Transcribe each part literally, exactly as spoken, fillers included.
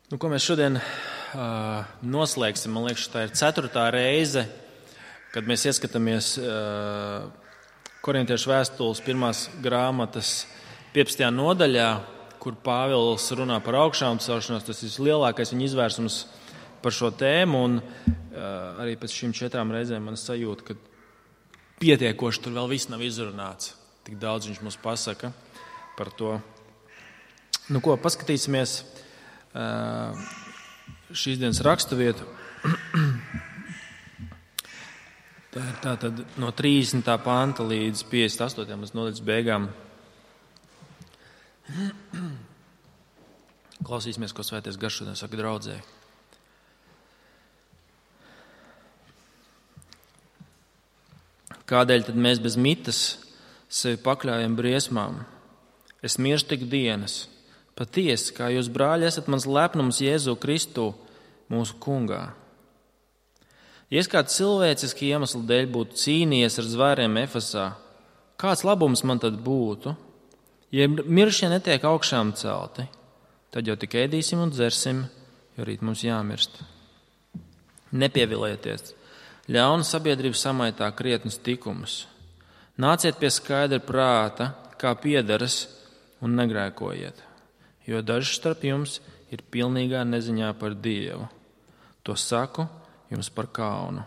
Nu, ko mēs šodien uh, noslēgsim? Man liekas, tā ir ceturtā reize, kad mēs ieskatāmies uh, Korintiešu vēstules pirmās grāmatas piecpadsmitajā nodaļā, kur Pāvils runā par augšām celšanos. Tas ir lielākais viņa izvērsums par šo tēmu, un uh, arī pēc šīm četrām reizēm man sajūta, ka pietiekoši tur vēl viss nav izrunāts. Tik daudz viņš mums pasaka par to. Nu ko, paskatīsimies uh, šīs dienas raksturvietu. Tā ir tātad no trīsdesmitā panta līdz piecdesmit astotajām nodaļas beigām. Klausīsimies, ko Svētais Gars šodien saka draudzēji. Kādēļ tad mēs bez mitas sevi pakļājam briesmām? Es mirstu tik dienas. Patiesi, kā jūs, brāļi, esat mans lepnums Jēzu Kristu, mūsu kungā. Ja es kāds cilvēciski iemeslu dēļ būtu cīnījies ar zvēriem Efesā, kāds labums man tad būtu? Ja miršie netiek augšām celti, tad jau tik ēdīsim un dzersim, jo rīt mums jāmirst. Nepievilieties, ļauna sabiedrība samaitā krietnus tikumus. Nāciet pie skaidra prāta, kā piederas, un negrēkojiet, jo daži starp jums ir pilnīgā neziņā par Dievu. To saku jums par kaunu.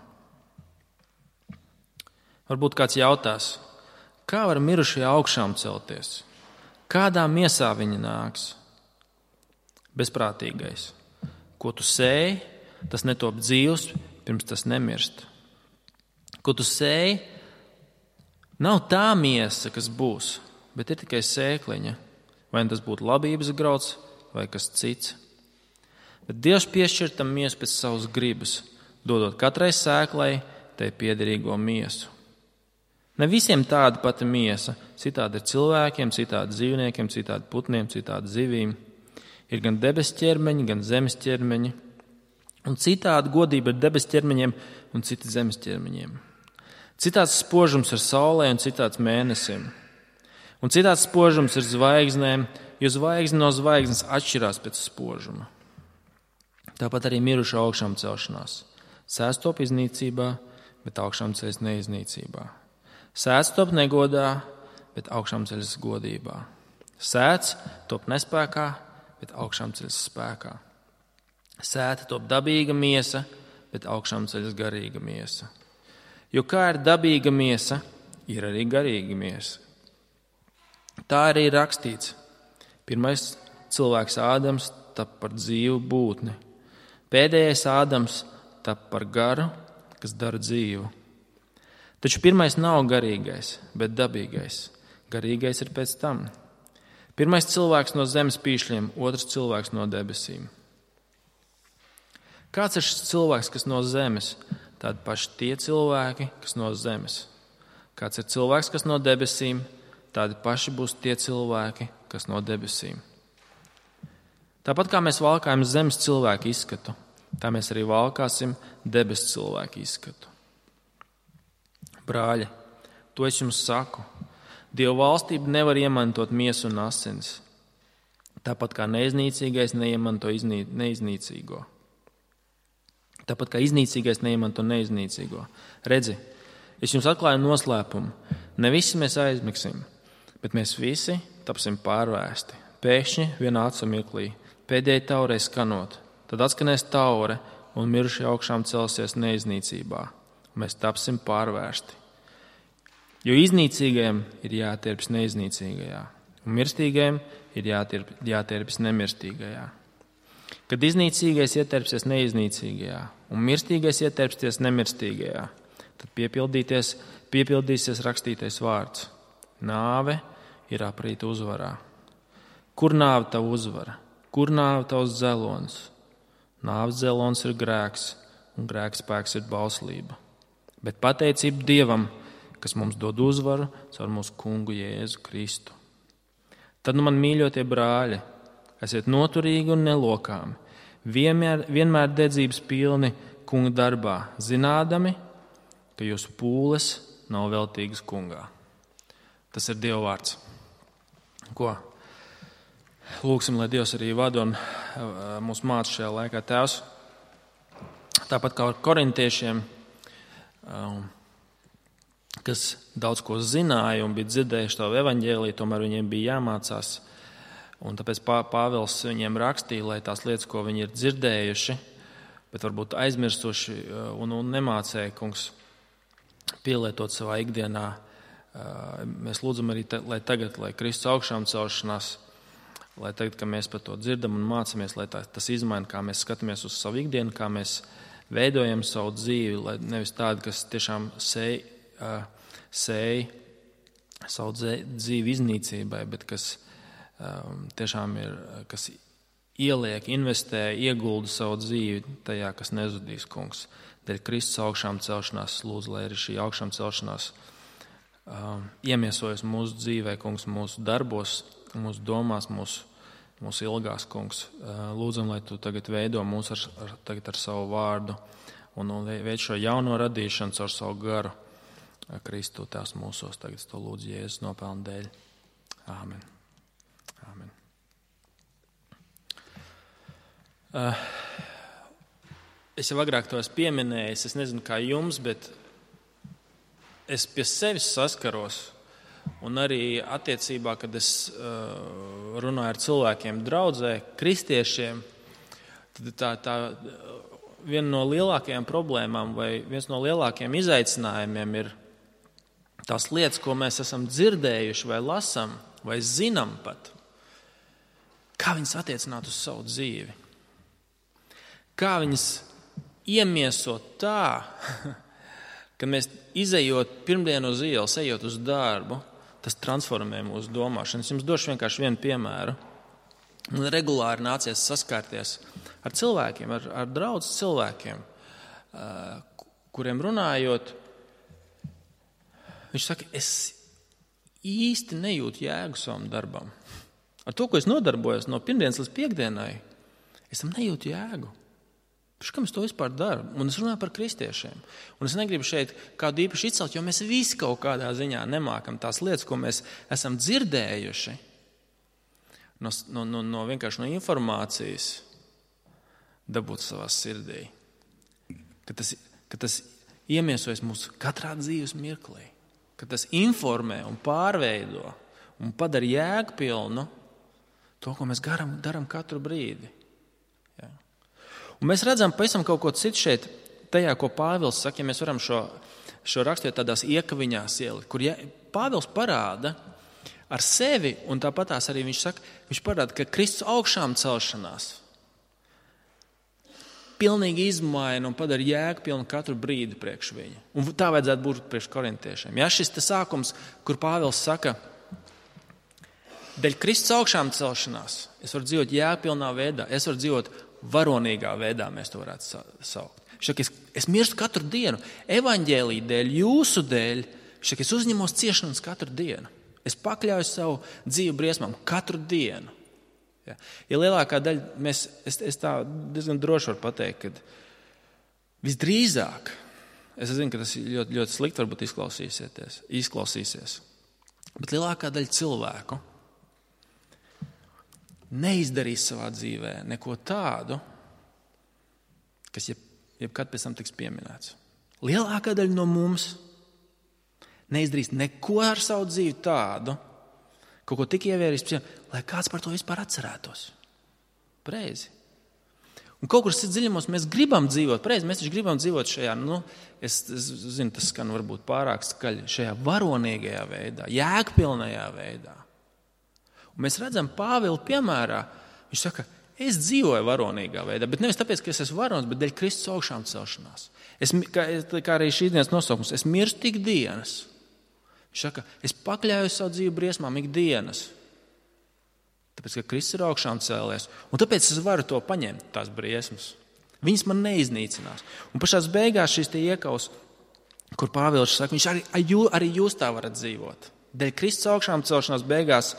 Varbūt kāds jautās, kā var mirušie augšām celties? Kādā miesā viņi nāks? Bezprātīgais. Ko tu sēji, tas netop dzīvs, pirms tas nemirst. Ko tu sēji, nav tā miesa, kas būs, bet ir tikai sēkliņa. Vai tas būtu labības grauds vai kas cits. Bet Dievs piešķir tam miesu pēc savas gribas, dodot katrai sēklai tai piederīgo miesu. Ne visiem tāda pati miesa, citādi ir cilvēkiem, citādi dzīvniekiem, citādi putniem, citādi zivīm. Ir gan debes ķermeņi, gan zemes ķermeņi, un citādi godība ir debes ķermeņiem un citi zemes ķermeņiem. Citāds spožums ir saulē un citāds mēnesim. Un citāds spožums ir zvaigznēm, jo zvaigzne no zvaigznes atšķirās pēc spožuma. Tāpat arī mirušu augšām celšanās. Sēsts top iznīcībā, bet augšām ceļas neiznīcībā. Sēts top negodā, bet augšām ceļas godībā. Sēts top nespēkā, bet augšām ceļas spēkā. Sēta top dabīga miesa, bet augšām ceļas garīga miesa. Jo kā ir dabīga miesa, ir arī garīga miesa. Tā arī ir rakstīts. Pirmais cilvēks Ādams tap par dzīvu būtni. Pēdējais Ādams tap par garu, kas dara dzīvu. Taču pirmais nav garīgais, bet dabīgais. Garīgais ir pēc tam. Pirmais cilvēks no zemes pīšļiem, otrs cilvēks no debesīm. Kāds ir šis cilvēks, kas no zemes? Tādi paši tie cilvēki, kas no zemes. Kāds ir cilvēks, kas no debesīm? Tādi paši būs tie cilvēki, kas no debesīm. Tāpat kā mēs valkājam zemes cilvēku izskatu, tā mēs arī valkāsim debes cilvēku izskatu. Brāļi, to es jums saku. Dieva valstība nevar iemantot miesu un asins. Tāpat kā neiznīcīgais neiemanto iznī, neiznīcīgo. Tāpat kā iznīcīgais neiemanto neiznīcīgo. Redzi, es jums atklāju noslēpumu. Ne visi mēs aizmigsim, bet mēs visi tapsim pārvērsti. Pēkšņi vienā acu mirklī, pēdējai taurei skanot, tad atskanēs taure un mirušie augšām celsies neiznīcībā. Mēs tapsim pārvērsti. Jo iznīcīgajam ir jātierpjas neiznīcīgajā, un mirstīgajam ir jātierp, jātierpjas nemirstīgajā. Kad iznīcīgais ietērpsies neiznīcīgajā, un mirstīgais ietērpsies nemirstīgajā, tad piepildīties, piepildīsies rakstītais vārds. Nāve ir aprīta uzvarā. Kur nāve tavu uzvara? Kur nāve tavs dzelons? Nāves dzelons ir grēks, un grēks spēks ir bauslība. Bet pateicība Dievam, kas mums dod uzvaru caur mūsu kungu Jēzu Kristu. Tad nu man mīļotie brāļi, esiet noturīgi un nelokāmi, vienmēr, vienmēr dedzības pilni kunga darbā, zinādami, ka jūsu pūles nav veltīgas kungā. Tas ir Dieva vārds. Ko? Lūksim, lai Dievs arī vada un mūs māca šajā laikā. Tēvs, tāpat kā ar korintiešiem, kas daudz ko zināja un bija dzirdējuši tavu evaņģēliju, tomēr viņiem bija jāmācās. Un tāpēc Pāvils viņiem rakstīja, lai tās lietas, ko viņi ir dzirdējuši, bet varbūt aizmirstuši un, un nemācēja, kungs, pielietot savā ikdienā. Mēs lūdzam arī, te, lai tagad, lai Kristus augšām celšanās, lai tagad, kad mēs par to dzirdam un mācāmies, lai tā, tas izmaina, kā mēs skatāmies uz savu ikdienu, kā mēs veidojam savu dzīvi, lai nevis tādi, kas tiešām sēj, sēj savu dzīvi iznīcībai, bet kas tiešām ir, kas ieliek, investē, iegulda savu dzīvi tajā, kas nezudīs, kungs. Dēļ Kristus augšām celšanās lūdzu, lai arī šī augšām celšanās uh, iemiesojas mūsu dzīvē, kungs, mūsu darbos, mūsu domās, mūsu, mūsu ilgās, kungs. Uh, lūdzam, lai tu tagad veido mūs ar, ar, tagad ar savu vārdu un, un veid šo jauno radīšanu caur savu garu. Kristu tās mūsos, tagad to lūdzu Jēzus nopelnu dēļ. Āmen. Āmen. Uh, es jau agrāk to esmu pieminējis, es nezinu kā jums, bet es pie sevis saskaros un arī attiecībā, kad es uh, runāju ar cilvēkiem draudzē, kristiešiem, tad tā, tā viena no lielākajām problēmām vai viens no lielākajiem izaicinājumiem ir tās lietas, ko mēs esam dzirdējuši vai lasam vai zinām pat, kā viņas attiecināt uz savu dzīvi. Kā viņas iemiesot tā, ka mēs izejot pirmdien uz ielas, ejot uz darbu, tas transformē mūsu domāšanu. Es jums došu vienkārši vienu piemēru. Man regulāri nācies saskārties ar cilvēkiem, ar, ar draudz cilvēkiem, kuriem runājot, viņš saka, es īsti nejūtu jēgu savam darbam. Ar to, ko es nodarbojos no pirmdienas līdz piekdienai, es tam nejūtu jēgu. Kam es to vispār daru? Un es runāju par kristiešiem. Un es negribu šeit kādu īpaši izcelt, jo mēs visi kaut kādā ziņā nemākam tās lietas, ko mēs esam dzirdējuši no, no, no, no vienkārši no informācijas dabūt savā sirdī. Ka tas, ka tas iemiesojas mūsu katrā dzīves mirklī. Ka tas informē un pārveido un padara jēgpilnu to, ko mēs garam, daram katru brīdi. Un mēs redzam pavisam kaut ko citu šeit, tajā, ko Pāvils saka, ja mēs varam šo, šo rakstīt tādās iekaviņās ielikt, kur ja, Pāvils parāda ar sevi, un tāpatās arī viņš saka, viņš parāda, ka Kristus augšām celšanās pilnīgi izmaina un padara jēgpilnu katru brīdi priekš viņa. Un tā vajadzētu būt priekš korintiešiem. Ja šis te sākums, kur Pāvils saka, dēļ Kristus augšām celšanās, es varu dzīvot jēgpilnā veidā, es varu dzīvot varonīgā veidā, mēs to varētu saukt. Šaka, es, es mirstu katru dienu. Evaņģēlija dēļ, jūsu dēļ, šaka, es uzņemos ciešanas katru dienu. Es pakļauju savu dzīvi briesmām katru dienu. Ja, ja lielākā daļa, mēs, es, es tā diezgan droši varu pateikt, ka visdrīzāk, es zinu, ka tas ļoti, ļoti slikti varbūt izklausīsies, izklausīsies, bet lielākā daļa cilvēku neizdarīs savā dzīvē neko tādu, kas jeb, jebkad pēc tam tiks pieminēts. Lielākā daļa no mums neizdarīs neko ar savu dzīvi tādu, kaut ko tik ievērīs, lai kāds par to vispār atcerētos. Preizi. Un kaut kur dziļumos mēs gribam dzīvot, preizi, mēs taču gribam dzīvot šajā, nu, es, es zinu, tas skan varbūt pārāk skaļi, šajā varonīgajā veidā, jēgpilnajā veidā. Un mēs redzam Pāvila piemērā, viņš saka, es dzīvoju varonīgā veidā, bet nevis tāpēc, ka es esmu varons, bet dēļ Kristus augšām celšanās. Es, kā, kā arī šīs dienas nosaukums, es mirstu ikdienas. Viņš saka, es pakļauju savu dzīvi briesmām ikdienas, tāpēc, ka Kristus ir augšām cēlies. Un tāpēc es varu to paņemt, tās briesmas. Viņas man neiznīcinās. Un pašās beigās šīs tie iekaus, kur Pāvils saka, viņš arī, arī jūs tā varat dzīvot. Dēļ Kristus augšām celšanās beigās,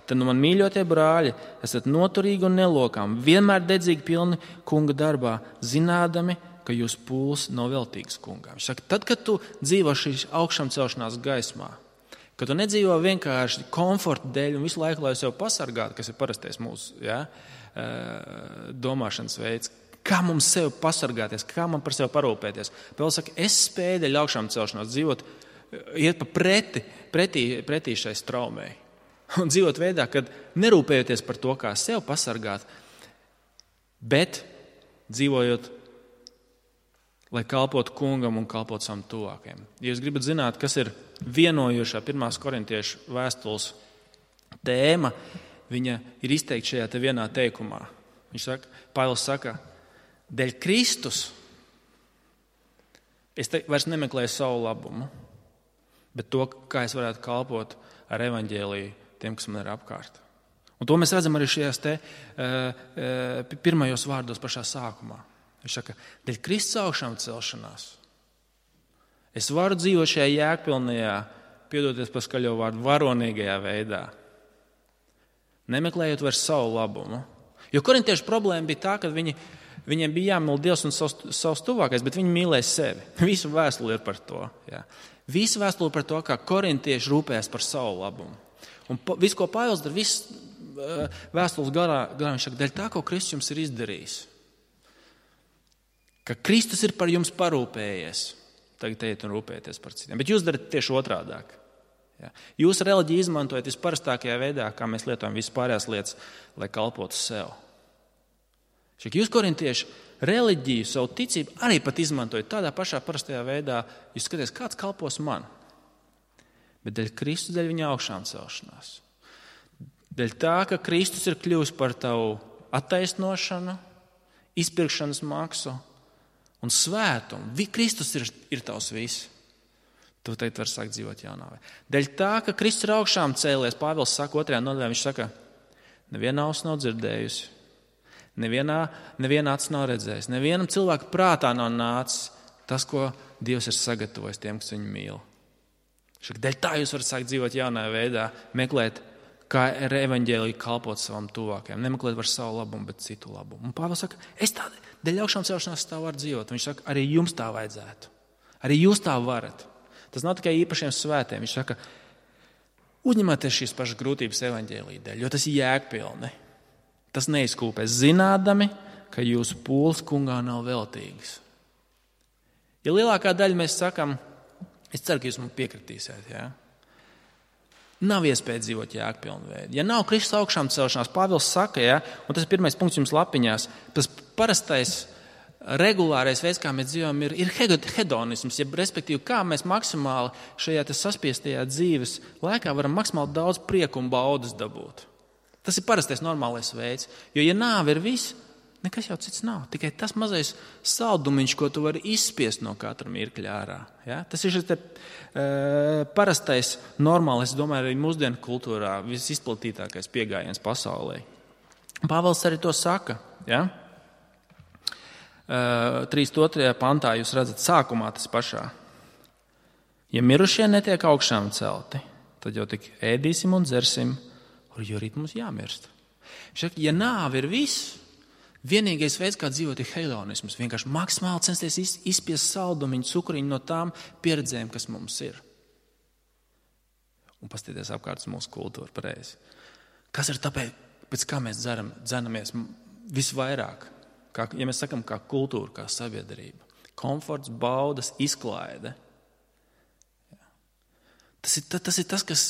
tad nu man mīļotie brāļi, esat noturīgi un nelokām, vienmēr dedzīgi pilni kunga darbā, zinādami, ka jūs pūles nav veltīgs kungā. Viņš saka, tad, kad tu dzīvo šīs augšām celšanās gaismā, Ka tu nedzīvo vienkārši komforta dēļ un visu laiku, lai sev pasargātu, kas ir parastais mūsu ja, domāšanas veids. Kā mums sev pasargāties, kā man par sevi parūpēties. Pāvils saka, es spēju dēļ augšām celšanās dzīvot, iet pa preti, pretī, pretī šai straumei. Un dzīvot veidā, kad nerūpējoties par to, kā sev pasargāt, bet dzīvojot, lai kalpotu kungam un kalpotu savam tuvākajam. Ja jūs gribat zināt, kas ir vienojošā pirmās korintiešu vēstules tēma, viņa ir izteikta šajā te vienā teikumā. Viņš saka, Pāvils saka, dēļ Kristus es te vairs nemeklēju savu labumu, bet to, kā es varētu kalpot ar evaņģēliju tiem, kas man ir apkārt. Un to mēs redzam arī šajās te uh, pirmajos vārdos pašā sākumā. Viņš saka, dēļ Kristus augšām celšanās. Es varu dzīvot šajā jēgpilnajā, piedoties par skaļo vārdu, varonīgajā veidā. Nemeklējot vairs savu labumu. Jo korintiešu problēma bija tā, ka viņi, viņiem bija jāmīl Dievs un savs, savs tuvākais, bet viņi mīlēja sevi. Visu vēstuli ir par to. Jā. Visu vēstuli par to, kā korintieši rūpējas par savu labumu. Un viss, ko Pāvils dara, viss vēstules garā, garā viņš saka, dēļ tā, ko Kristus jums ir izdarījis. Ka Kristus ir par jums parūpējies. Tagad ejiet un rūpēties par citiem. Bet jūs darat tieši otrādāk. Ja. Jūs reliģiju izmantojat visparastākajā veidā, kā mēs lietojam visas pārējās lietas, lai kalpotu sev. Šik jūs, korintieši, reliģiju, savu ticību arī pat izmantojat tādā pašā parastajā veidā. Jūs skaties, kāds kalpos man. Bet dēļ Kristus, dēļ viņa augšām celšanās. Dēļ tā, ka Kristus ir kļuvis par tavu attaisnošanu, izpirkšanas maksu, un svētumu. Kristus ir, ir tavs viss. Tu teikt var sākt dzīvot jaunāvē. Dēļ tā, ka Kristus ir augšām cēlies, Pāvils saka otrajā nodaļā, viņš saka, neviena auss nav dzirdējusi, nevienā, neviena acis nav redzējis, nevienam cilvēku prātā nav nācis tas, ko Dievs ir sagatavojis tiem, kas viņu mīl. Šak, dēļ tā jūs varat sākt dzīvot jaunā veidā, meklēt, kā ar evaņģēliju kalpot savam tuvākajam, nemeklēt var savu labumu, bet citu labumu. Un Pāvils saka, es tā, dēļ augšām celšanās tā varu dzīvot. Viņš saka, arī jums tā vajadzētu. Arī jūs tā varat. Tas nav tikai īpašiem svētiem. Viņš saka, uzņemieties šīs pašas grūtības evaņģēlija dēļ, jo tas ir jēgpilni. Tas neizkūpēs zinādami, ka jūsu pūles kungā nav veltīgas. Ja lielākā daļa mēs sakam, es ceru, ka jūs man piekritīsiet, jā? Nav iespēja dzīvot jēgpilnu veidu. Ja nav Kristus augšām celšanās, Pāvils saka, ja, un tas ir pirmais punkts jums lapiņās, tas parastais regulārais veids, kā mēs dzīvojam, ir, ir hedonisms, ja, respektīvi, kā mēs maksimāli šajā saspiestajā dzīves laikā varam maksimāli daudz prieku un baudas dabūt. Tas ir parastais normālais veids, jo ja nāve ir viss, nekas jau cits nav. Tikai tas mazais saldumiņš, ko tu vari izspiest no katra mirkļa ārā. Ja? Tas ir šis te, uh, parastais, normālais, es domāju, arī mūsdienu kultūrā visizplatītākais pieejams pasaulē. Pāvils arī to saka. Ja? Uh, trīsdesmit otrajā pantā jūs redzat sākumā tas pašā. Ja mirušie netiek augšām celti, tad jau tik ēdīsim un dzersim, jo rīt mums jāmirst. Šak, ja nāve ir viss, vienīgais veids, kā dzīvot, ir hedonisms. Vienkārši maksimāli censties izspiest saldumiņu, cukuriņu no tām pieredzēm, kas mums ir. Un paskatīties apkārt mūsu kultūru pareizi. Kas ir tāpēc, pēc kā mēs dzeram, dzenamies visvairāk? Kā, ja mēs sakam, kā kultūra, kā sabiedrība. Komforts, baudas, izklaide. Tas ir, tas ir tas, kas...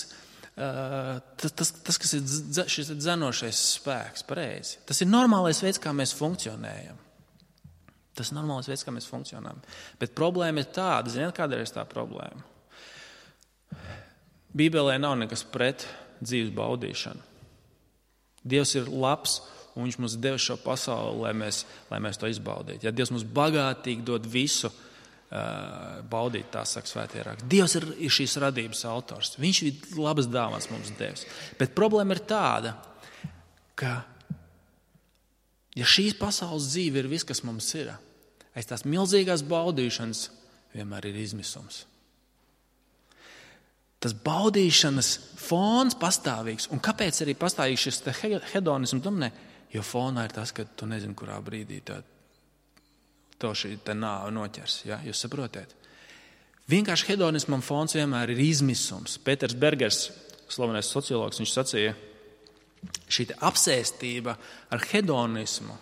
Uh, tas, tas, tas, kas ir dz, šis dzenošais spēks, pareizi. Tas ir normālais veids, kā mēs funkcionējam. Tas ir normālais veids, kā mēs funkcionējam. Bet problēma ir tāda, ziniet, kāda ir tā problēma? Bībelē nav nekas pret dzīves baudīšanu. Dievs ir labs, un viņš mums deva šo pasauli, lai mēs, lai mēs to izbaudītu. Ja Dievs mums bagātīgi dod visu, baudīt, tā saka svētie raksti. Dievs ir, ir šīs radības autors. Viņš ir labas dāvāns mums devis. Bet problēma ir tāda, ka ja šīs pasaules dzīve ir viss, kas mums ir, aiz tās milzīgās baudīšanas vienmēr ir izmisums. Tas baudīšanas fons pastāvīgs. Un kāpēc arī pastāvīgs šis hedonisms domnē? Jo fonā ir tas, ka tu nezini, kurā brīdī tā to šī te nāve noķers, ja? Jūs saprotiet? Vienkārši hedonismam fons vienmēr ir izmisums. Pēters Bergers, slavenais sociologs, viņš sacīja, šī apsēstība ar hedonismu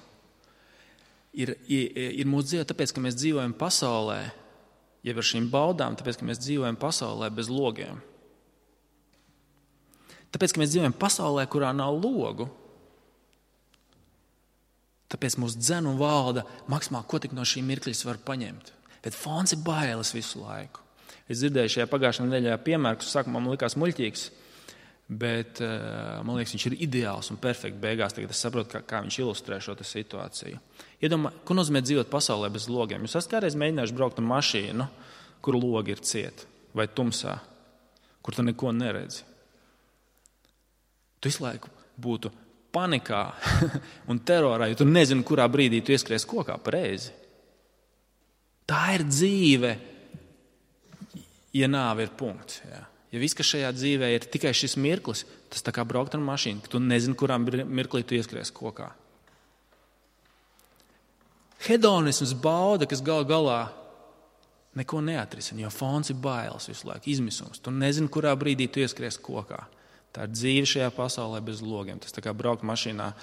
ir, ir, ir mūsu dzīve, tāpēc, ka mēs dzīvojam pasaulē, jeb ar šīm baudām, tāpēc, ka mēs dzīvojam pasaulē bez logiem. Tāpēc, ka mēs dzīvojam pasaulē, kurā nav logu, tāpēc mūs dzen un valda maksimāli, ko tik no šī mirkļas var paņemt. Bet fons ir bailes visu laiku. Es dzirdēju šajā pagājušajā nedēļā piemēru, kas sākumā man likās muļķīgs, bet man liekas, viņš ir ideāls un perfekti beigās. Tagad es saprotu, kā, kā viņš ilustrē šo situāciju. Iedomā, ko nozīmē dzīvot pasaulē bez logiem? Jūs esat kādreiz mēģinājuši braukt ar mašīnu, kur logi ir cieti, vai tumsā, kur tu neko neredzi. Tu visu laiku būtu panikā un terorā, jo tu nezini, kurā brīdī tu ieskries kokā pareizi. Tā ir dzīve, ja nāve ir punkts. Jā. Ja viss, kas šajā dzīvē ir tikai šis mirklis, tas tā kā braukt ar mašīnu, ka tu nezini, kurā mirklī tu ieskries kokā. Hedonisms bauda, kas gal galā neko neatrisina, jo fons ir bailes visu laiku, izmisums. Tu nezini, kurā brīdī tu ieskries kokā. Tā ir dzīve šajā pasaulē bez logiem. Tas tā kā braukt mašīnā,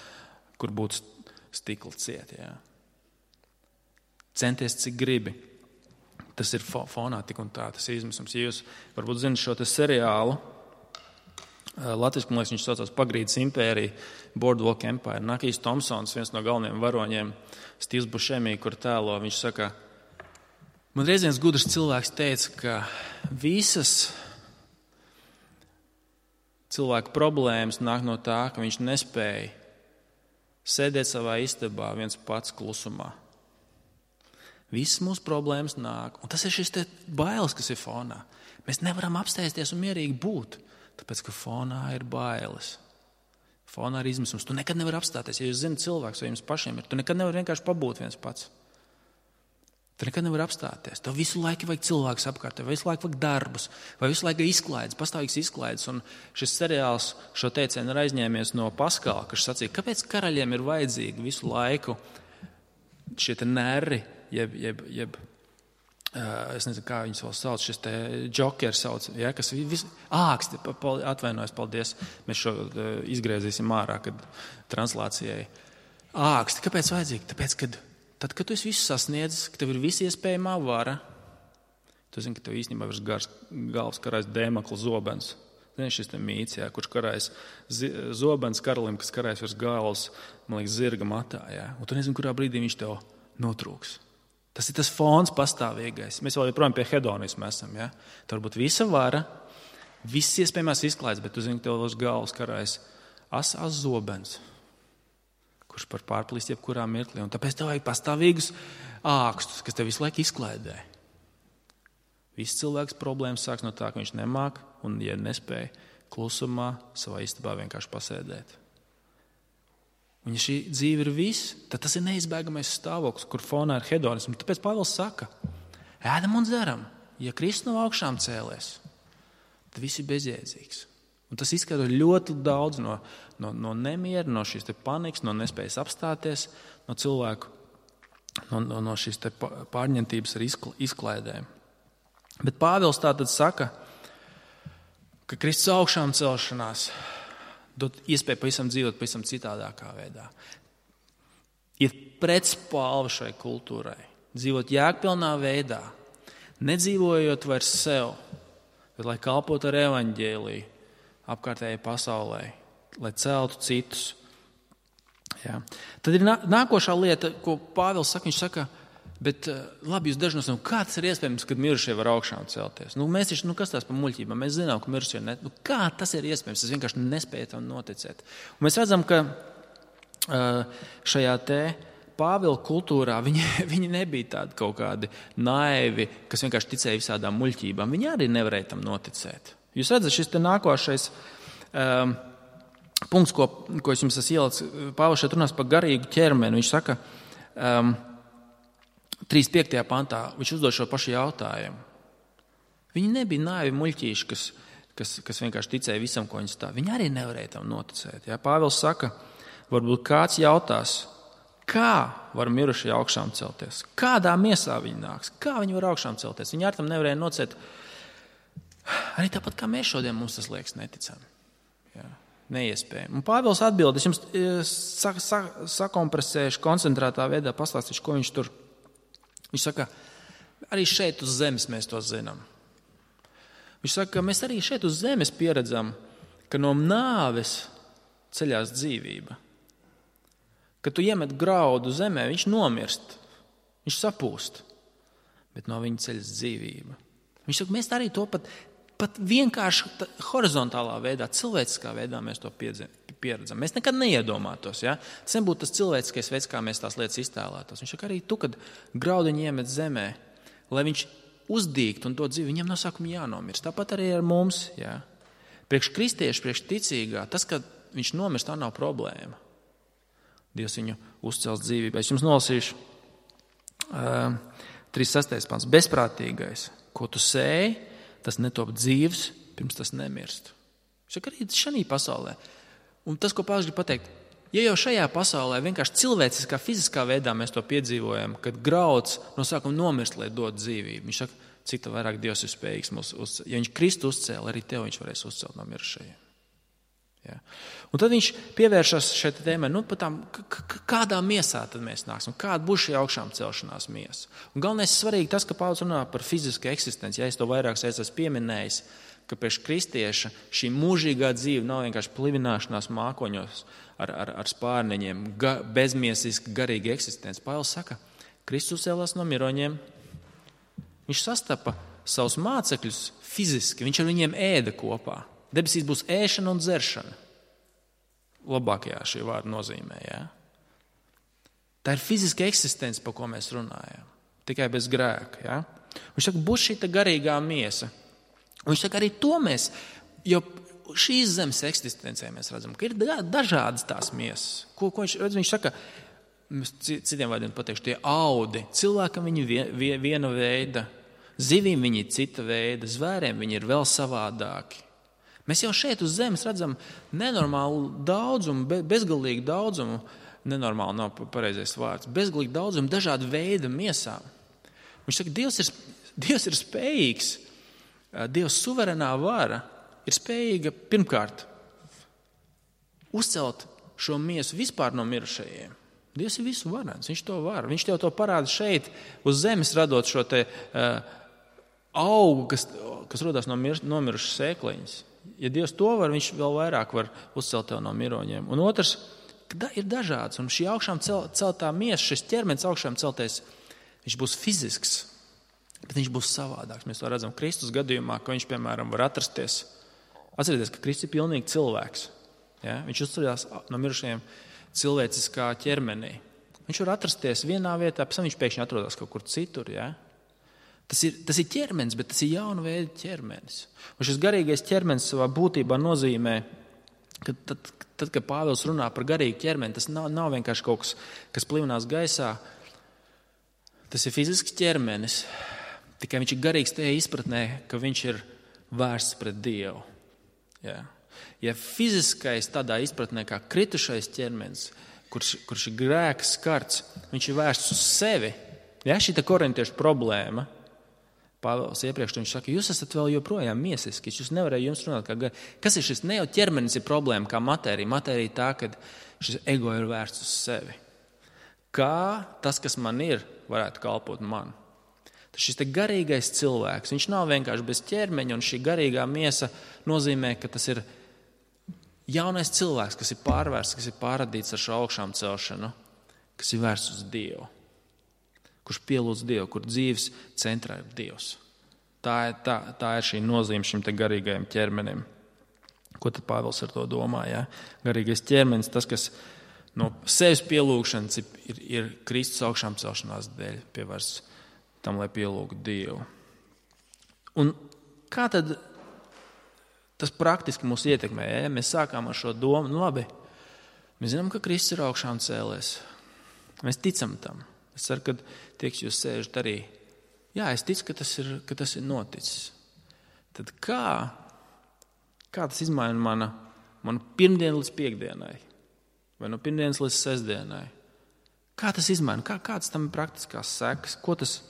kur būtu stikla cieti. Jā. Centies, cik gribi. Tas ir fonā tik un tā, tas ir izmisums. Ja jūs varbūt zināt šo te seriālu, latviski, man liekas, viņš saucās Pagrīdes impērija, Boardwalk Empire. Nakijs Tomsons, viens no galvenajiem varoņiem, Stīvs Bušemī, kur tēlo, viņš saka, man reiz viens gudrs cilvēks teica, ka visas cilvēku problēmas nāk no tā, ka viņš nespēja sēdēt savā istabā viens pats klusumā. Visas mūsu problēmas nāk, un tas ir šis te bailes, kas ir fonā. Mēs nevaram apsēsties un mierīgi būt, tāpēc, ka fonā ir bailes. Fonā ir izmisums. Tu nekad nevari apstāties. Ja jūs zināt cilvēks, vai jums pašiem ir, tu nekad nevari vienkārši pabūt viens pats. Tu nekad nevari apstāties. Tev visu laiku vajag cilvēkus apkārt, tev visu laiku vajag darbus, vai visu laiku izklaides, pastāvīgs izklaides. Un šis seriāls šo teicienu ir aizņēmies no Paskala, kas sacīja, kāpēc karaļiem ir vajadzīgi visu laiku šie te nerri, jeb, jeb, jeb uh, es nezinu, kā viņus vēl sauc, šis te džokeri sauc, ja, kas vis, āksti, atvainojos, paldies, mēs šo uh, izgriezīsim ārā, kad translācijai. Āksti, kāpēc vajadzīgi? Tāpēc, kad tad, kad tu esi visu sasniedzis, ka tev ir visi iespējamā vara, tu zini, ka tev īstenībā virs gars galvas karājas Dēmakla zobens. Zini, šis te mīts, jā, kurš karājas zobens karalim, kas karājas virs galvas, man liekas, zirga matā. Jā. Un tu nezini, kurā brīdī viņš tev notrūks. Tas ir tas fons pastāvīgais. Mēs vēl joprojām pie hedonisma esam. Jā. Tur varbūt visa vara, viss iespējamās izklaides, bet tu zini, ka tev virs galvas karājas asās zobens, kurš par pārplīst jebkurā mirklī. Un tāpēc tev vajag pastāvīgus ākstus, kas tev visu laiku izklaidē. Viss cilvēks problēmas sāks no tā, ka viņš nemāk un, ja nespēja, klusumā savā istabā vienkārši pasēdēt. Un ja šī dzīve ir viss, tad tas ir neizbēgamais stāvoklis, kur fonā ir hedonisms. Tāpēc Pāvils saka, ēdam un dzeram, ja Kristus no augšām cēlies, tad viss ir bezjēdzīgs. Un tas izskaidro ļoti daudz no, no, no nemiera, no šīs te panikas, no nespējas apstāties, no cilvēku, no, no, no šīs te pārņemtības ar izklaidēm. Bet Pāvils tātad saka, ka Kristus augšām celšanās dod iespēju pavisam dzīvot pavisam citādākā veidā. Ir pretspalva šai kultūrai. Dzīvot jēgpilnā veidā, nedzīvojot vairs sev, bet lai kalpotu ar evaņģēliju apkārtējai pasaulē, lai celtu citus. Jā. Tad ir nākošā lieta, ko Pāvils saka, viņš saka, bet labi, jūs daži no saviem, kā tas ir iespējams, kad mirušie var augšām celties? Nu, mēs taču, nu, kas tās par muļķībām? Mēs zinām, ka mirušie ne... Nu, kā tas ir iespējams? Es vienkārši nespēju tam noticēt. Un mēs redzam, ka šajā te Pāvila kultūrā viņi, viņi nebija tādi kaut kādi naivi, kas vienkārši ticēja visādām muļķībām. Viņi arī nevarēja tam noticēt. Jūs redzat, šis te nākošais um, punkts, ko, ko es jums esmu ielicis, Pāvils šeit runās par garīgu ķermeni. Viņš saka, um, trīsdesmit piektajā pantā, viņš uzdod šo pašu jautājumu. Viņi nebija naivi muļķīši, kas, kas, kas vienkārši ticēja visam, ko viņi stāv. Viņi arī nevarēja tam noticēt. Ja? Pāvils saka, varbūt kāds jautās, kā var mirušie augšām celties? Kādā miesā viņi nāks? Kā viņi var augšām celties? Viņi ar tam nevarēja nocēt. Arī tāpat kā mēs šodien, mums tas liekas neticami. Jā, neiespējami. Un Pāvils atbild, es jums sa, sa, sakompresēšu, koncentrētā veidā pastāstīšu, ko viņš tur. Viņš saka, arī šeit uz zemes mēs to zinām. Viņš saka, ka mēs arī šeit uz zemes pieredzam, ka no nāves ceļās dzīvība. Kad tu iemet graudu zemē, viņš nomirst, viņš sapūst, bet no viņa ceļas dzīvība. Viņš saka, mēs arī to pat, pat vienkārši horizontālā veidā, cilvēciskā veidā mēs to pieredzam. Mēs nekad neiedomātos, ja? Tas nebūtu tas cilvēciskais veids, kā mēs tās lietas iztēlētos. Viņš saka, arī tu, kad graudiņu iemet zemē, lai viņš uzdīgt un dot dzīvi, viņam no sākuma jānomirst. Tāpat arī ar mums, ja? Priekš kristiešu, priekš ticīgā, tas, ka viņš nomirst, tā nav problēma. Dievs viņu uzcels dzīvībā. Es jums nolasīšu uh, trīsdesmit sestais pants. Bezprātīgais, ko tu sēji, tas netop dzīvs, pirms tas nemirst. Šak arī šajā pasaulē. Un tas, ko Pāvils grib pateikt, ja jau šajā pasaulē vienkārši cilvēciskā, fiziskā veidā mēs to piedzīvojam, kad grauds no sākuma nomirst, lai dod dzīvību. Viņš saka, cik tā vairāk Dievs ir spējīgs mūs uzcelt. Ja viņš Kristu uzcēla, arī tev viņš varēs uzcelt no mirušajiem. Ja. Un tad viņš pievēršas šeit tēmai, nu, tām, kādā miesā tad mēs nāksim, kāda būs šī augšām celšanās miesa. Un galvenais svarīgi tas, ka Pāvils runā par fizisku eksistenci. Ja es to vairāk esmu pieminējis, ka priekš kristieša šī mūžīgā dzīve nav vienkārši plivināšanās mākoņos ar, ar, ar spārniņiem, ga, bezmiesiska garīga eksistence. Pāvils saka, Kristus cēlās no miroņiem, viņš sastapa savus mācekļus fiziski, viņš ar viņiem ēda kopā. Debesīs būs ēšana un dzeršana. Labākajā šī vārda nozīmē. Ja? Tā ir fiziska eksistence, par ko mēs runājam. Tikai bez grēka. Ja? Viņš saka, būs šī garīgā miesa. Un viņš saka, arī to mēs, jo šīs zemes eksistencē mēs redzam, ka ir dažādas tās miesas. Ko, ko viņš, viņš saka, citiem vārdiem pateikšu, tie audi. Cilvēkam viņi vien, viena veida, zivīm viņi cita veida, zvēriem viņi ir vēl savādāki. Mēs jau šeit uz zemes redzam nenormālu daudzumu, bezgalīgu daudzumu, nenormāli nav pareizais vārds, bezgalīgu daudzumu dažādu veidu miesām. Viņš saka, Dievs ir, Dievs ir spējīgs, Dievs suverenā vara ir spējīga pirmkārt uzcelt šo miesu vispār no mirušajiem. Dievs ir visu varens, viņš to var. Viņš tev to parāda šeit uz zemes radot šo te uh, augu, kas, kas rodās no mir, nomirušas sēkliņas. Ja Dievs to var, viņš vēl vairāk var uzcelt tev no miroņiem. Un otrs, ka ir dažāds. Un šī augšām cel, celtā miesa, šis ķermenis augšām celtais, viņš būs fizisks, bet viņš būs savādāks. Mēs to redzam Kristus gadījumā, ka viņš, piemēram, var atrasties. Atcerieties, ka Kristus ir pilnīgi cilvēks. Ja? Viņš uzceļās no mirušajiem cilvēciskā ķermenī. Viņš var atrasties vienā vietā, pēc tam viņš pēkšņi atrodas kaut kur citur. Ja? Tas ir, tas ir ķermenis, bet tas ir jauna veida ķermenis. Un šis garīgais ķermenis savā būtībā nozīmē, ka tad, tad kad Pāvils runā par garīgu ķermeni, tas nav, nav vienkārši kaut kas, kas plivinās gaisā. Tas ir fizisks ķermenis, tikai viņš ir garīgs tajā izpratnē, ka viņš ir vērsts pret Dievu. Ja, ja fiziskais tādā izpratnē kā kritušais ķermenis, kurš, kurš ir grēka skarts, viņš ir vērsts uz sevi. Ja, šī tā korintiešu problēma. Pāvils iepriekš viņš saka, jūs esat vēl joprojām miesiski, jūs nevarēja jums runāt kā gar... Kas ir šis? Ne jau ķermenis ir problēma kā matērija. Matērija tā, ka šis ego ir vērsts uz sevi. Kā tas, kas man ir, varētu kalpot man. Tas šis te garīgais cilvēks, viņš nav vienkārši bez ķermeņa, un šī garīgā miesa nozīmē, ka tas ir jaunais cilvēks, kas ir pārvērsts, kas ir pārradīts ar šo augšām celšanu, kas ir vērsts uz Dievu. Kurš pielūdz Dievu, kur dzīves centrā ir Dievs. Tā ir, tā, tā ir šī nozīme šim te garīgajam ķermenim. Ko tad Pāvils ar to domā? Ja? Garīgais ķermenis, tas, kas no sevis pielūgšanas ir, ir, ir Kristus augšām celšanās dēļ pievērsts tam, lai pielūgtu Dievu. Un kā tad tas praktiski mūs ietekmē? Ja? Mēs sākām ar šo domu, nu labi, mēs zinām, ka Kristus ir augšām cēlies. Mēs ticam tam. Es ceru, ka tiek jūs sēžat arī. Jā, es ticu, ka tas ir, ka tas ir noticis. Tad kā, kā tas izmaina mana, mana pirmdienu līdz piekdienai? Vai no pirmdienas līdz sestdienai? Kā tas izmaina? Kā, kāds tam ir praktiskās sekas? Ko tas,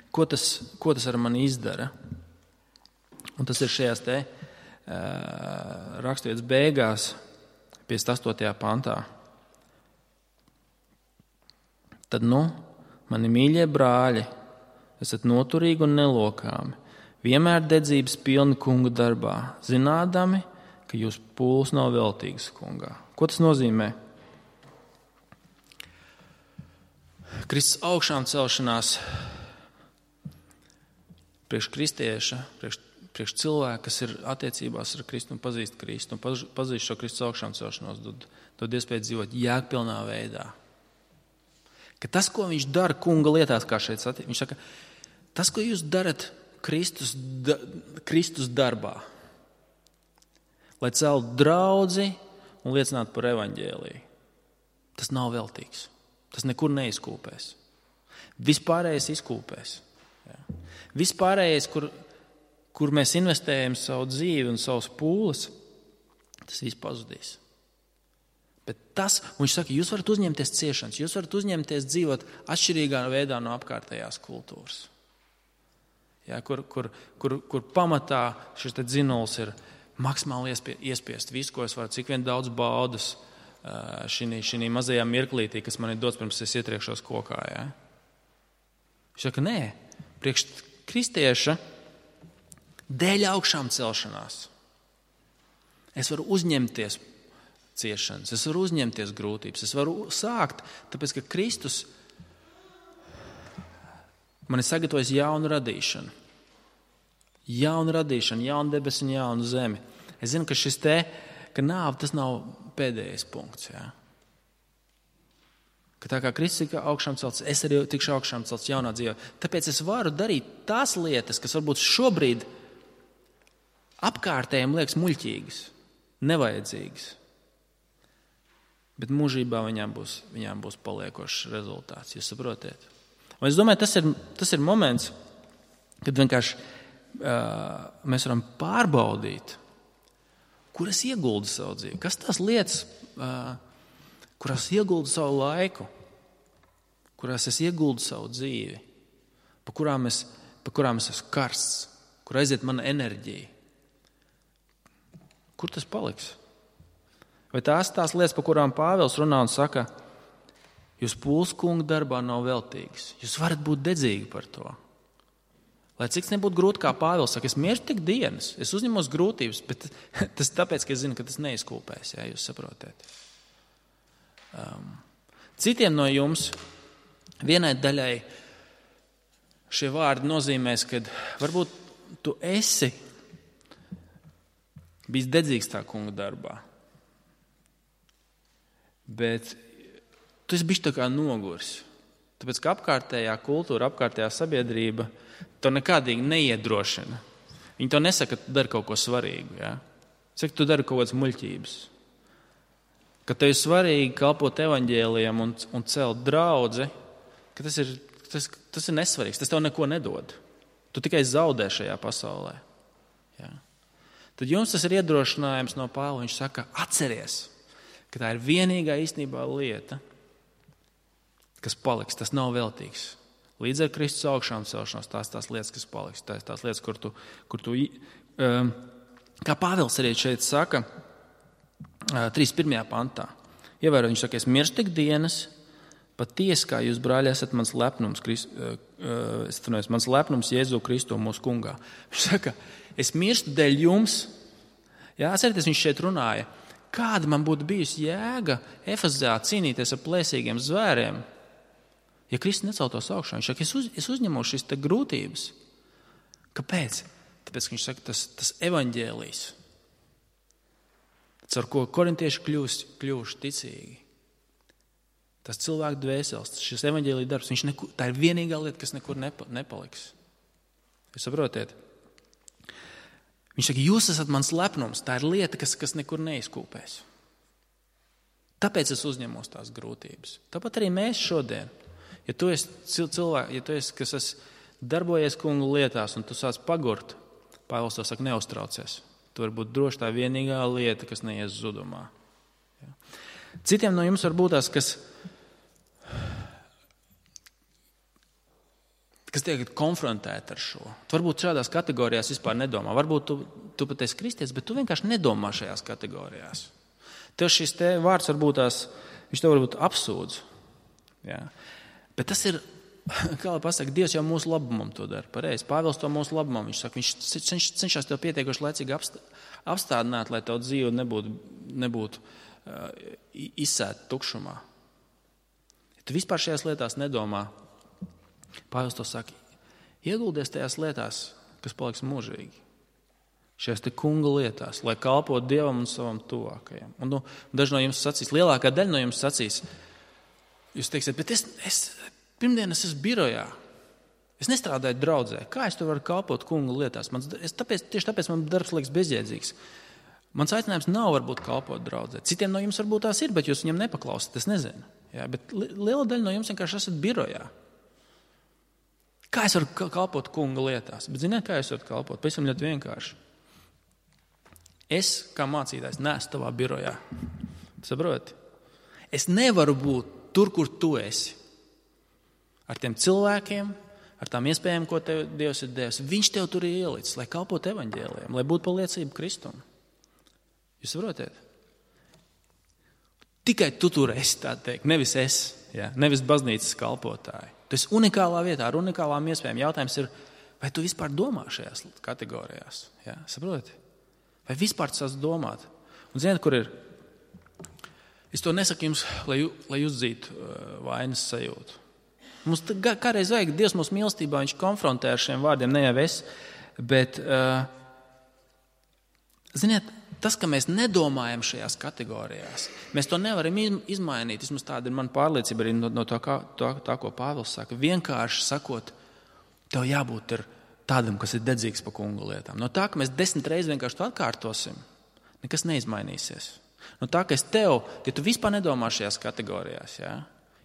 ko tas, ko tas ar mani izdara? Un tas ir šajās te uh, raksturvietas beigās, piecdesmit astotajā pantā. Tad, nu, mani mīļie brāļi, esat noturīgi un nelokāmi, vienmēr dedzības pilni kunga darbā, zinādami, ka jūs pūles nav veltīgas kungā. Ko tas nozīmē? Kristus augšām celšanās priekš kristieša, priekš, priekš cilvēka, kas ir attiecībās ar Kristu un pazīst Kristu un pazīst šo Kristus augšām celšanos, dod, dod iespēju dzīvot jēgpilnā veidā. Ka tas, ko viņš dara kunga lietās, kā šeit satiek, viņš saka, tas, ko jūs darat Kristus, da, Kristus darbā, lai celtu draudzi un liecinātu par evaņģēliju, tas nav veltīgs. Tas nekur neizkūpēs. Vispārējais izkūpēs. Jā. Vispārējais, kur, kur mēs investējam savu dzīvi un savus pūles, tas viss pazudīs. Bet tas, un viņš saka, jūs varat uzņemties ciešanas, jūs varat uzņemties dzīvot atšķirīgā veidā no apkārtējās kultūras. Jā, kur, kur, kur, kur pamatā šis te dzinuls ir maksimāli iespie, iespiest visu, ko es varu, cik vien daudz baudas šī, šī mazajā mirklītī, kas man ir dots pirms es ietriekšos kokā. Ja? Viņš saka, nē, priekš kristieša dēļ augšām celšanās. Es varu uzņemties ciešanas, es varu uzņemties grūtības, es varu sākt, tāpēc, ka Kristus man ir sagatavojis jaunu radīšanu. Jaunu radīšanu, jaunu debesi un jaunu zemi. Es zinu, ka šis te, ka nāve tas nav pēdējais punkts. Jā. Ka tā kā Kristus ir augšām celts, es arī tikšu augšām celts jaunā dzīvē. Tāpēc es varu darīt tās lietas, kas varbūt šobrīd apkārtējiem liekas muļķīgas, nevajadzīgas. Bet mūžībā viņām būs, viņām būs paliekošs rezultāts. Jūs saprotiet? Un es domāju, tas ir, tas ir moments, kad vienkārši uh, mēs varam pārbaudīt, kur es ieguldu savu dzīvi, kas tās lietas, uh, kurās ieguldu savu laiku, kurās es ieguldu savu dzīvi, pa kurām es, pa kurām es esmu karsts, kur aiziet mana enerģija. Kur tas paliks? Vai tās tās lietas, pa kurām Pāvils runā un saka, jūs pūles kunga darbā nav veltīgas. Jūs varat būt dedzīgi par to. Lai cik nebūtu grūti, kā Pāvils saka, es mieru tik dienas, es uzņemos grūtības, bet tas tāpēc, ka es zinu, ka tas neizkūpēs, ja jūs saprotiet. Um, citiem no jums vienai daļai šie vārdi nozīmēs, ka varbūt tu esi bijis dedzīgs tā kunga darbā, bet tu esi bijis tā kā nogurs. Tāpēc, ka apkārtējā kultūra, apkārtējā sabiedrība to nekādīgi neiedrošina. Viņi to nesaka, ka tu dari kaut ko svarīgu. Ja? Saka, tu dari kaut kādas muļķības. Ka tev ir svarīgi kalpot evaņģēlijam un, un celt draudzi, ka tas ir, tas, tas ir nesvarīgs. Tas tev neko nedod. Tu tikai zaudē šajā pasaulē. Ja? Tad jums tas ir iedrošinājums no Pāvila. Viņš saka, atceries, ka tā ir vienīgā īstenībā lieta, kas paliks, tas nav veltīgs. Līdz ar Kristus augšām celšanos, tās tās lietas, kas paliks, tās tās lietas, kur tu, kur tu um, kā Pāvils arī šeit saka, uh, trīsdesmit pirmajā pantā. Ievēro, viņš saka, es mirstu tik dienas, patiesi, kā jūs, brāļi, esat mans lepnums, Krist, uh, uh, es tunēs, mans lepnums Jēzu Kristu mūsu kungā. Viņš saka, es mirstu dēļ jums. Jā, atcerieties, viņš šeit runāja, kāda man būtu bijusi jēga Efezā cīnīties ar plēsīgiem zvēriem, ja Kristus neceltos augšā. Viņš saka, es, uz, es uzņemu šīs te grūtības. Kāpēc? Tāpēc, ka viņš saka, tas, tas evaņģēlijs, caur ko korintieši kļūst, kļūst ticīgi. Tas cilvēku dvēseles, šis evaņģēlija darbs, viņš nekur, tā ir vienīgā lieta, kas nekur nepa, nepaliks. Jūs saprotiet? Viņš saka, jūs esat mans lepnums, tā ir lieta, kas, kas nekur neizkūpēs. Tāpēc es uzņemos tās grūtības. Tāpat arī mēs šodien. Ja tu esi cilvēks, ja tu esi, kas esi darbojies kungu lietās un tu sāc pagurt, Pāvils to saka, neuztraucies. Tu vari būt droši tā vienīgā lieta, kas neies zudumā. Ja. Citiem no jums var būt tās, kas kas tiek konfrontēti ar šo. Tu varbūt šādās kategorijās vispār nedomā. Varbūt tu, tu pat esi kristietis, bet tu vienkārši nedomā šajās kategorijās. Tev šis te vārds varbūt tās, viņš tev varbūt apsūdz. Jā. Bet tas ir, kā lai pasaka, Dievs jau mūsu labumam to dara. Pareizi. Pāvils to mūsu labumam. Viņš saka, viņš cenš, cenšas tev pietiekoši laicīgi apstādināt, lai tev dzīve nebūtu, nebūtu uh, izsēta tukšumā. Ja tu vispār šajās lietās nedomā, Pāvils to saka, ieguldies tajās lietās, kas paliks mūžīgi. Šajās te kunga lietās, lai kalpotu Dievam un savam tuvākajam. Un nu, daži no jums sacīs, lielākā daļa no jums sacīs, jūs teiksiet, bet es, es pirmdien es esmu birojā. Es nestrādāju draudzē. Kā es to varu kalpot kunga lietās? Mans, es, tāpēc, tieši tāpēc man darbs liekas bezjēdzīgs. Mans aicinājums nav varbūt kalpot draudzē. Citiem no jums varbūt tās ir, bet jūs viņam nepaklausat. Es nezinu. Jā, bet liela daļa no jums vienkārši esat birojā. Kā es varu kalpot kunga lietās? Bet ziniet, kā es varu kalpot? Pavisam ļoti vienkārši. Es, kā mācītājs, neesmu tavā birojā. Saproti? Es nevaru būt tur, kur tu esi. Ar tiem cilvēkiem, ar tām iespējām, ko tev Dievs ir devis. Viņš tev tur ir ielicis, lai kalpot evaņģēlijam, lai būtu par liecību Kristum. Jūs saprotiet? Tikai tu tur esi, tā teikt, nevis es, jā, nevis baznīcas kalpotāji. Tu esi unikālā vietā, ar unikālām iespējām. Jautājums ir, vai tu vispār domā šajās kategorijās? Jā, saproti? Vai vispār tu sāc domāt? Un ziniet, kur ir? Es to nesaku jums, lai, lai uzdzītu uh, vainas sajūtu. Mums kādreiz vajag, Dievs mūsu mīlestībā, viņš konfrontē ar šiem vārdiem, ne jau es, bet, uh, ziniet, tas, ka mēs nedomājam šajās kategorijās, mēs to nevaram izmainīt. Vismaz tāda ir mana pārliecība arī no, no tā, kā, tā, tā, ko Pāvils saka. Vienkārši sakot, tev jābūt ir tādam, kas ir dedzīgs par kunga lietām. No tā, ka mēs desmit reizes vienkārši to atkārtosim, nekas neizmainīsies. No tā, ka es tev, ja tu vispār nedomā šajās kategorijās, jā,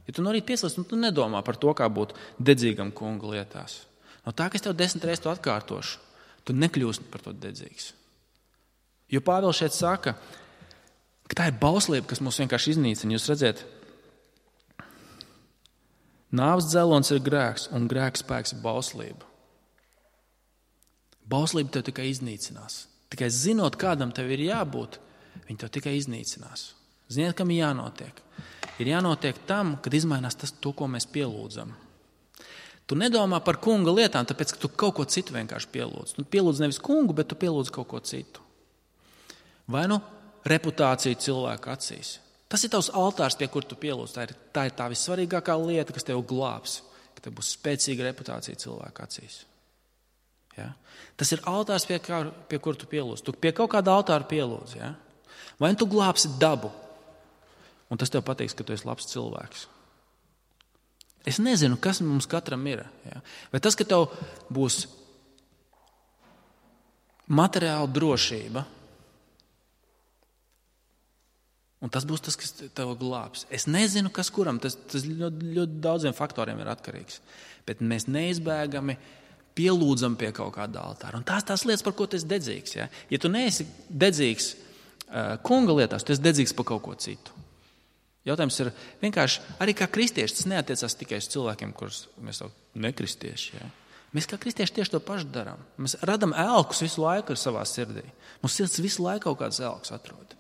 ja tu no rīt pieslēdz, tu nedomā par to, kā būt dedzīgam kunga lietās. No tā, ka es tev desmit reizes to atkārtošu, tu nekļūsi par to dedzīgs. Jo Pāvils šeit saka, ka tā ir bauslība, kas mūs vienkārši iznīcina. Jūs redzat, nāves dzelons ir grēks, un grēka spēks ir bauslība. Bauslība tev tikai iznīcinās. Tikai zinot, kādam tev ir jābūt, viņi tev tikai iznīcinās. Ziniet, kam ir jānotiek? Ir jānotiek tam, kad izmainās tas, to, ko mēs pielūdzam. Tu nedomā par kunga lietām, tāpēc, ka tu kaut ko citu vienkārši pielūdz. Tu pielūdz nevis kungu, bet tu pielūdz kaut ko citu. Vai nu reputācija cilvēku acīs. Tas ir tavs altārs, pie kur tu pielūdz. Tā ir, tā ir tā vissvarīgākā lieta, kas tev glābs, ka tev būs spēcīga reputācija cilvēku acīs. Ja? Tas ir altārs, pie, kā, pie kur tu pielūdz. Tu pie kaut kāda altāra pielūdz. Ja? Vai tu glābsi dabu, un tas tev pateiks, ka tu esi labs cilvēks. Es nezinu, kas mums katram ir. Ja? Vai tas, ka tev būs materiāla drošība, un tas būs tas, kas tev glābs. Es nezinu, kas kuram. Tas, tas ļoti, ļoti daudziem faktoriem ir atkarīgs. Bet mēs neizbēgami pielūdzam pie kaut kāda altāra. Un tās tās lietas, par ko tu esi dedzīgs. Ja, ja tu neesi dedzīgs uh, kunga lietās, tu esi dedzīgs par kaut ko citu. Jautājums ir vienkārši, arī kā kristieši, tas neatiecās tikai uz cilvēkiem, kurus mēs jau nekristieši. Ja. Mēs kā kristieši tieši to pašu darām. Mēs radam elkus visu laiku ar savā sirdī. Mums sirds visu laiku kaut kāds elks atrod.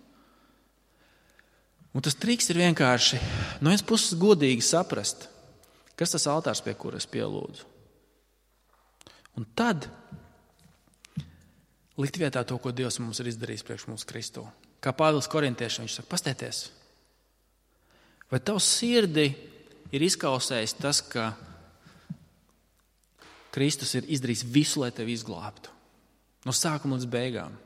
Un tas triks ir vienkārši no vienas puses godīgi saprast, kas tas altārs, pie kuras pielūdzu. Un tad likt vietā to, ko Dievs mums ir izdarījis priekš mums Kristu. Kā Pāvils korintiešiem, viņš saka, pastieties, vai tavs sirdi ir izkausējis tas, ka Kristus ir izdarījis visu, lai tevi izglābtu. No sākuma līdz beigām.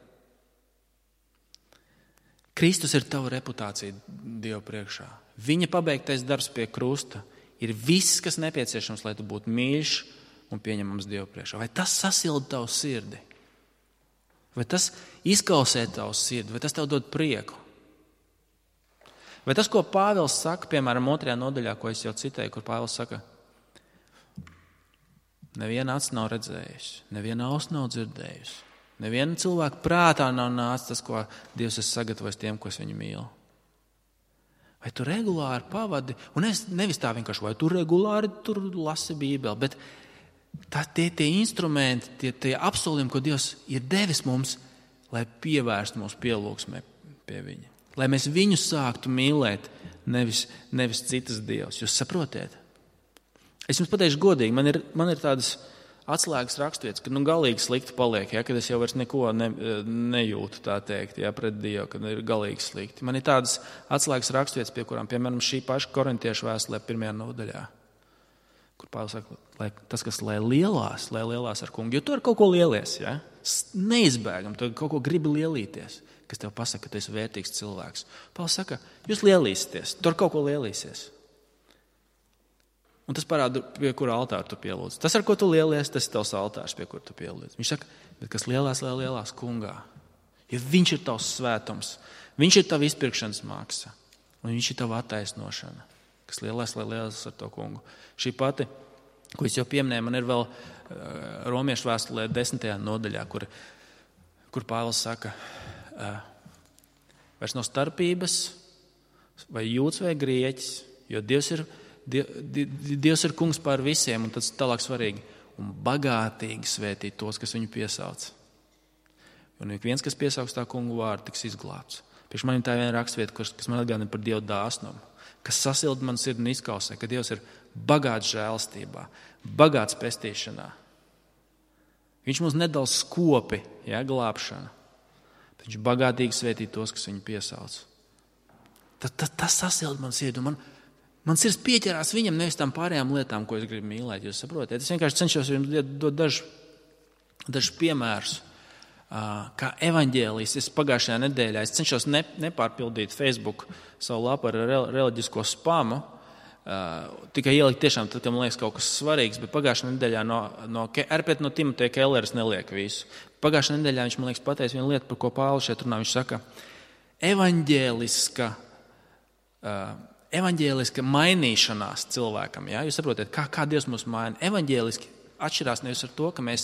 Kristus ir tava reputācija Dieva priekšā. Viņa pabeigtais darbs pie krusta ir viss, kas nepieciešams, lai tu būtu mīļš un pieņemams Dieva priekšā. Vai tas sasilda tavu sirdi? Vai tas izkausē tavu sirdi? Vai tas tev dod prieku? Vai tas, ko Pāvils saka, piemēram, otrajā nodaļā, ko es jau citēju, kur Pāvils saka, neviena acs nav redzējusi, neviena auss nav dzirdējusi. Neviena cilvēka prātā nav nācis tas, ko Dievs ir sagatavojis tiem, kas viņu mīl. Vai tu regulāri pavadi, un es nevis tā vienkārši, vai tu regulāri tur lasi Bībeli, bet Tā, tie, tie instrumenti, tie, tie apsolījumi, ko Dievs ir devis mums, lai pievērstu mūsu pielūgsmē pie viņa. Lai mēs viņu sāktu mīlēt, nevis, nevis citas dievs. Jūs saprotiet? Es jums pateikšu godīgi, man ir, man ir tādas atslēgas raksturvietas, ka nu, galīgi slikti paliek, ja, kad es jau vairs neko ne, nejūtu, tā teikt, ja, pret Dievu, kad ir galīgi slikti. Man ir tādas atslēgas raksturvietas, pie kurām, piemēram, šī paša korintiešu vēstulē pirmajā nodaļā, kur Pāvils saka, lai tas, kas lai lielās, lai lielās ar kungu, jo tu ar kaut ko lielies, ja? Neizbēgam, tu kaut ko gribi lielīties, kas tev pasaka, ka tu esi vērtīgs cilvēks. Pāvils saka, jūs lielīsieties, tu ar kaut ko lielīsies. Un tas parāda, pie kura altāra tu pielūdz. Tas, ar ko tu lielies, tas ir tavs altārs, pie kura tu pielūdz. Viņš saka, bet kas lielās, lai lielās kungā, jo viņš ir tavs svētums, viņš ir tava izpirkšanas maksa, un viņš ir tava attaisnošana, kas lielās, lai lielās ar to kungu. Šī pati, ko es jau pieminēju, man ir vēl uh, Romiešu vēstulē desmitajā nodaļā, kur, kur Pāvils saka, uh, vairs nav starpības, vai jūds vai grieķis, jo Dievs ir Dievs ir kungs pār visiem, un tas tālāk svarīgi, un bagātīgi svētīt tos, kas viņu piesauc. Un ik viens, kas piesauks tā kungu vārdu, tiks izglābts. Priekš man ir tā viena rakstvieta, kas man atgādina par Dievu dāsnumu, kas sasilda man sirdi un izkausē, ka Dievs ir bagāts žēlstībā, bagāts pestīšanā. Viņš mums nedala skopi, ja, glābšana, bet viņš bagātīgi svētīt tos, kas viņu piesauc. Tas, tas, tas sasilda man sirdi, un man Man sirds pieķerās viņam, nevis tām pārējām lietām, ko es gribu mīlēt. Jūs saprotiet? Es vienkārši cenšos jums dot dažus dažu piemērus, kā evaņģēlijs. Es pagājušajā nedēļā es cenšos ne, nepārpildīt Facebook savu lapu ar reliģisko spamu, tikai ielikt tiešām, tad, kad man liekas kaut kas svarīgs, bet pagājušajā nedēļā no, no, no Timoteja Kelleres neliek visu. Pagājušajā nedēļā viņš, man liekas, pateica vienu lietu, par ko Pāvils šeit runā. Viņš saka, evaņģēliska uh, Evaņģēliska mainīšanās cilvēkam. Ja? Jūs saprotat, kā, kā Dievs mūs maina. Evaņģēliski atšķirās nevis ar to, ka mēs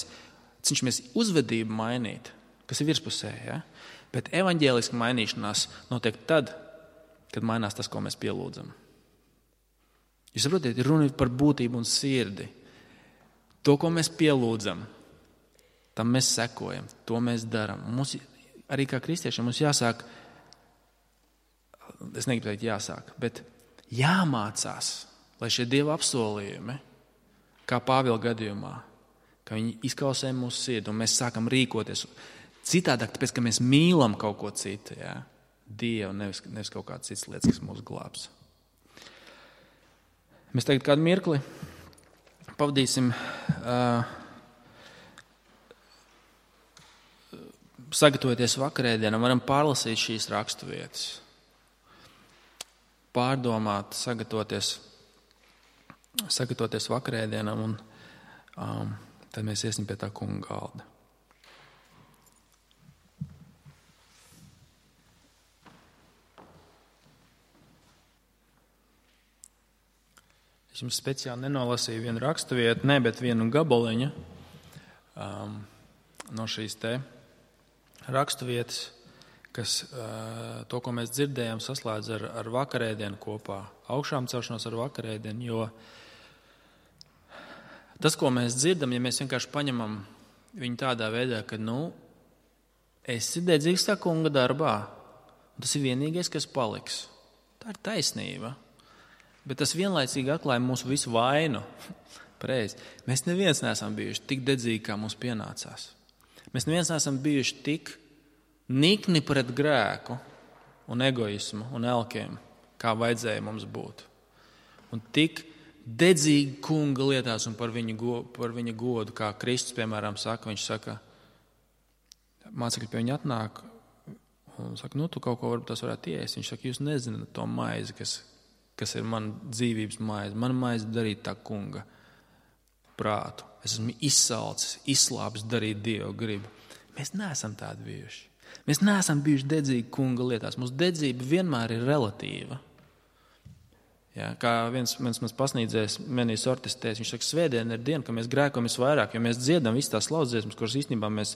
cenšamies uzvedību mainīt, kas ir virspusē. Ja? Bet evaņģēliska mainīšanās notiek tad, kad mainās tas, ko mēs pielūdzam. Jūs saprotat, ir runa par būtību un sirdi. To, ko mēs pielūdzam, tam mēs sekojam, to mēs darām. Mums arī kā kristiešiem mums jāsāk, es negribu teikt jāsāk, bet jāmācās, lai šie Dieva apsolījumi, kā Pāvila gadījumā, ka viņi izkausē mūsu sirdi un mēs sākam rīkoties citādāk, tāpēc, ka mēs mīlam kaut ko citu, ja? Dievu, nevis, nevis kaut kādas citas lietas, kas mūs glābs. Mēs tagad kādu mirkli pavadīsim uh, sagatavoties vakarēdienam, varam pārlasīt šīs raksturvietas. Pārdomāt, sagatavoties, sagatavoties vakarēdienam, un um, tad mēs iesim pie tā kunga galda. Es jums speciāli nenolasīju vienu raksturvietu, ne, bet vienu gabaliņu um, no šīs te raksturvietas, kas to, ko mēs dzirdējām, saslēdz ar, ar vakarēdienu kopā, augšām celšanos ar vakarēdienu, jo tas, ko mēs dzirdam, ja mēs vienkārši paņemam viņu tādā veidā, ka, nu, esi dedzīgs tā kunga darbā, un tas ir vienīgais, kas paliks. Tā ir taisnība, bet tas vienlaicīgi atklāja mūsu visu vainu. Pareizi. Mēs neviens neesam bijuši tik dedzīgi, kā mums pienācās. Mēs neviens neesam bijuši tik nikni pret grēku un egoismu un elkiem, kā vajadzēja mums būt. Un tik dedzīgi kunga lietās un par viņa, go, par viņa godu, kā Kristus, piemēram, saka, viņš saka, mācekļi pie viņa atnāk un saka, nu, tu kaut ko varbūt tas varētu iest. Viņš saka, jūs nezināt to maizi, kas, kas ir man dzīvības maize. Man maize darīt tā kunga prātu. Es esmu izsalcis, izslāpis darīt Dievu gribu. Mēs neesam tādi bijuši. Mēs neesam bijuši dedzīgi kunga lietās. Mūsu dedzība vienmēr ir relatīva. Ja, kā viens, viens mans pasniedzējs Menijs Ortis teica, viņš saka, svētdiena ir diena, ka mēs grēkojam visvairāk, jo mēs dziedam visas tās slauzdziesmas, kuras īstenībā mēs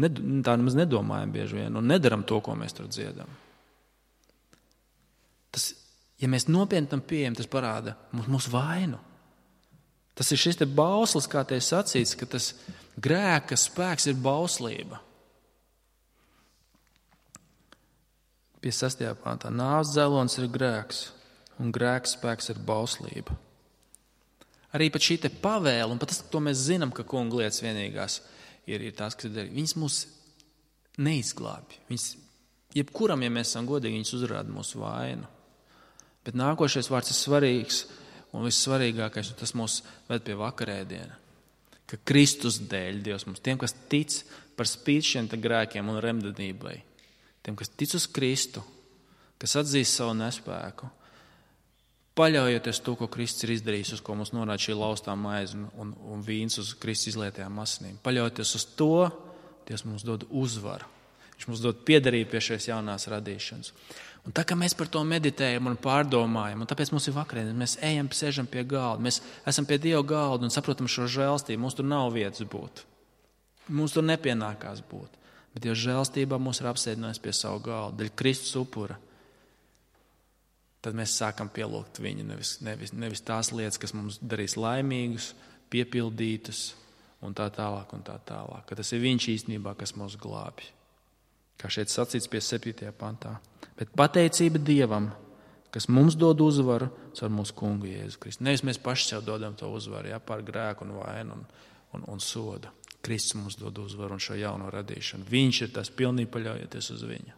ned, tā nemaz nedomājam bieži vien un nedaram to, ko mēs tur dziedam. Tas, ja mēs nopietni tam pieejam, tas parāda mūsu, mūsu vainu. Tas ir šis te bauslis, kā te sacīts, ka tas grēka spēks ir bauslība. Pie sastajā pāntā. Nāves dzelonis ir grēks, un grēka spēks ir bauslība. Arī pat šī te pavēle, un pat tas, to mēs zinām, ka kunga lietas vienīgās ir, ir tās, kas ir darīt. Viņas mūs neizglābj. Viņas, jebkuram, ja mēs esam godīgi, viņas uzrāda mūsu vainu. Bet nākošais vārds ir svarīgs, un vissvarīgākais, un tas mūs ved pie vakarēdiena. Ka Kristus dēļ Dievs mums, tiem, kas tic par spīti šiem grēkiem un remdedībai, tiem, kas tic uz Kristu, kas atzīst savu nespēku, paļaujoties to, ko Kristus ir izdarījis, uz ko mums norāda šī laustā maize un, un, un vīns uz Kristus izlietajām asinīm. Paļaujoties uz to, Dievs mums dod uzvaru. Viņš mums dod piederību pie šīs jaunās radīšanas. Un tā kā mēs par to meditējam un pārdomājam, un tāpēc mums ir vakarēdienas, mēs ejam, sēžam pie galda, mēs esam pie Dieva galda un saprotam šo žēlstību. Mums tur nav vietas būt. Mums tur nepienākās būt. Bet Dieva žēlstībā mūs ir apsēdinājis pie savu galdu, daļa Kristus upura. Tad mēs sākam pielūgt viņu, nevis, nevis, nevis tās lietas, kas mums darīs laimīgus, piepildītus un tā tālāk un tā tālāk. Ka tas ir viņš īstenībā, kas mūs glābj. Kā šeit sacīts pie septītajā pantā. Bet pateicība Dievam, kas mums dod uzvaru caur mūsu kungu Jēzu Kristu. Nevis mēs paši sev dodam to uzvaru, jā, pār grēku un vainu un, un, un sodu. Kristus mums dod uzvaru un šo jauno radīšanu. Viņš ir tas pilnīgi paļaujoties uz viņu.